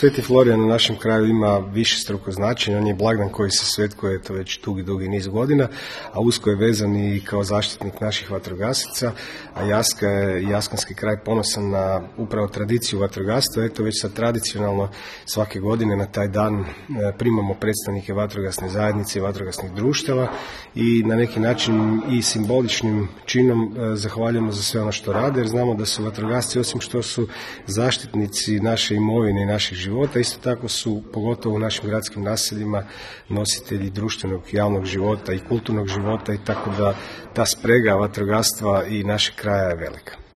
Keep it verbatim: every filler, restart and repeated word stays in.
Sveti Florijan u našem kraju ima višestruko značenje, on je blagdan koji se svetkuje to već dugi, dugi niz godina, a usko je vezan i kao zaštitnik naših vatrogasaca, a Jaska je, jaskanski kraj ponosan na upravo tradiciju vatrogastva. Eto već sad tradicionalno svake godine na taj dan primamo predstavnike vatrogasne zajednice i vatrogasnih društava i na neki način i simboličnim činom zahvaljujemo za sve ono što rade, jer znamo da su vatrogasci, osim što su zaštitnici naše imovine i naših života, isto tako su, pogotovo u našim gradskim naseljima, nositelji društvenog javnog života i kulturnog života, i tako da ta sprega vatrogastva i našeg kraja je velika.